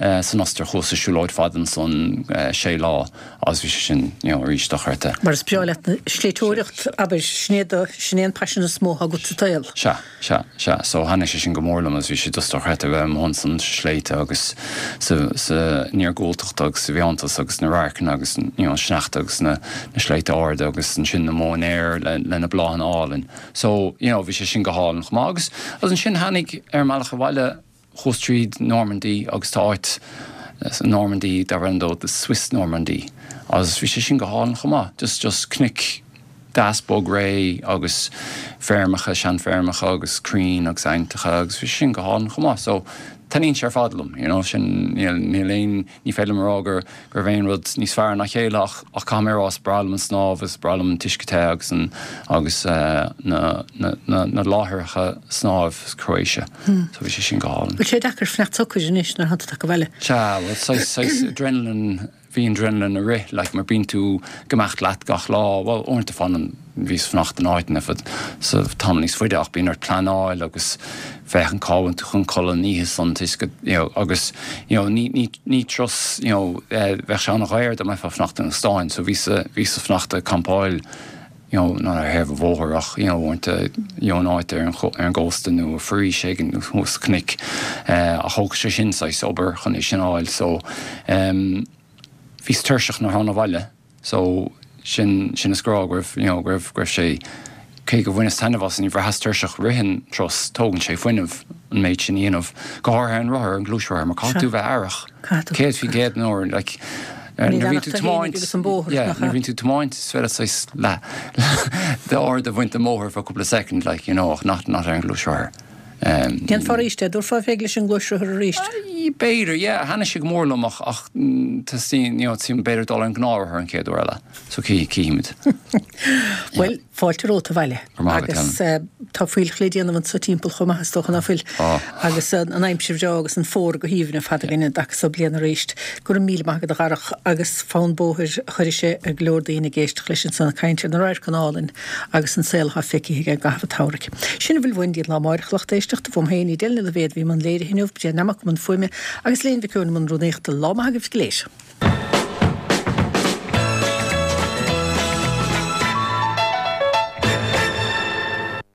San Ostair chuas ar siúlóid fada ansan sé lá agus bhí sé sin you know arís dochreidte. Mar is breá leat an sléibhteoireacht, abair, sin é do, sin é an paisean is mó agat sa tsaol. Sea, sea, sea. So thaitnigh sé sin go mór liom agus bhí sé just dochreidte a bheith amuigh ansan sa sléibhte agus sa, san iargúltacht agus sa bhfiántas agus na radharcanna agus you know sneachta agus na, na sléibhte arda agus ansin na móinéir le, le na bláthanna álainn. So you know bhí sé sin go hálainn chomh maith agus, agus ansin tháinig ar an mbealach abhaile, Chuas tríd Normandy agus tá áit sa Normandy darb ainm dó the Swiss Normandy agus bhí sé sin go hálainn chomh maith. Just just cnoic deas bog réidh agus feirmeacha, seanfheirmeacha agus crainn agus aibhneacha agus bhí sé sin go hálainn chomh maith. So taitníonn sé ar fad liom, you know, sin níl níl aon ní féidir liom a rá gur go raibh aon rud níos fearr ná a chéile ach ach caithfidh mé a rá is breá liom an snámh is breá liom an t-uisce te agus an agus na na na na láithreacha snámh sa Croatia. So bhí sé sin go hálainn. Bhfuil sé deacair fanacht socair anois nuair atá tú tagtha abhaile? Sea, bhuel saghas saghas adrenaline bhí an adrenaline ag rith like mar bíonn tú ag imeacht leat gach lá, bhuel uaireanta fanann bhíos ag fanacht in áiteanna fad sa tamall níos faide ach bíonn ort pleanáil agus féachaint cá bhfuil tú chun codladh an oíche san toisc go you know agus you know ní ní ní turas you know eh bheadh sé an-dhaor dá mbeifeá ag fanacht in óstáin so bhíos bhíos ag fanacht ag campáil you know not ar thaobh an bhóthair ach you know uaireanta you know in áit ar an ar an gcósta nó i bhforaois éigin nó thuas sna cnoic eh ach thóg sé sin saghas obair chun é sin a fháil so em bhíos tuirseach nuair a thána abhaile so sin sin is go raibh go raibh you know go raibh go raibh sé cé go bhaineas taitneamh as ní bhraitheas tuirseach rith an turas tógann sé fuinneamh an méid sin a dhéanamh go háirithe ar an rothar ar an gluaisrothar mar caithfidh tú bheith aireach céad faoin gcéad den uair like nuair a bhíonn tú tiomáint yeah nuair a bhíonn tú tiomáint is féidir saghas leath d'aird a bhaint den mbóthar for cúpla soicind like you know ach not not ar an ghluaisrothar. Dhéanfá arís é, dtabharfá fé leis an ngluaisrothar arís? B'fhéidir, yeah, thaitnigh sé go mór liom ach ach teastaíonn, you know, teastaíonn b'fhéidir dul ar an ngnáthrothar an chéad uair eile, so cífimid. Bhuel, fáilte romhat abhaile. Go raibh maith agat, Agus tá fuílleach le déanamh anso timpeall chomh maith is dócha, ná fuil? Tá. Agus an aimsir bhreá agus an fómhar go haoibhinn ar fad againn an dtaca so bliana arís. Go raibh míle maith agat a Dharach agus fonn bóthair a chuirfidh sé ar go leor daoine ag éisteacht leis ansan ag caint ar na radharcanna álainn agus an saol atá feicthe aige i gcaitheamh an tsamhraidh. Sin a bhfuil uainn go dtí an lá amárach, a lucht éisteachta, uaim féin, Edel Ní Loibhéad, a bhí i mbun léirithe inniu, Bríd Nammock i mbun fuaime agus Léan Mhic Eoin i mbun rúnaíochta. Lá maith agaibh go léir.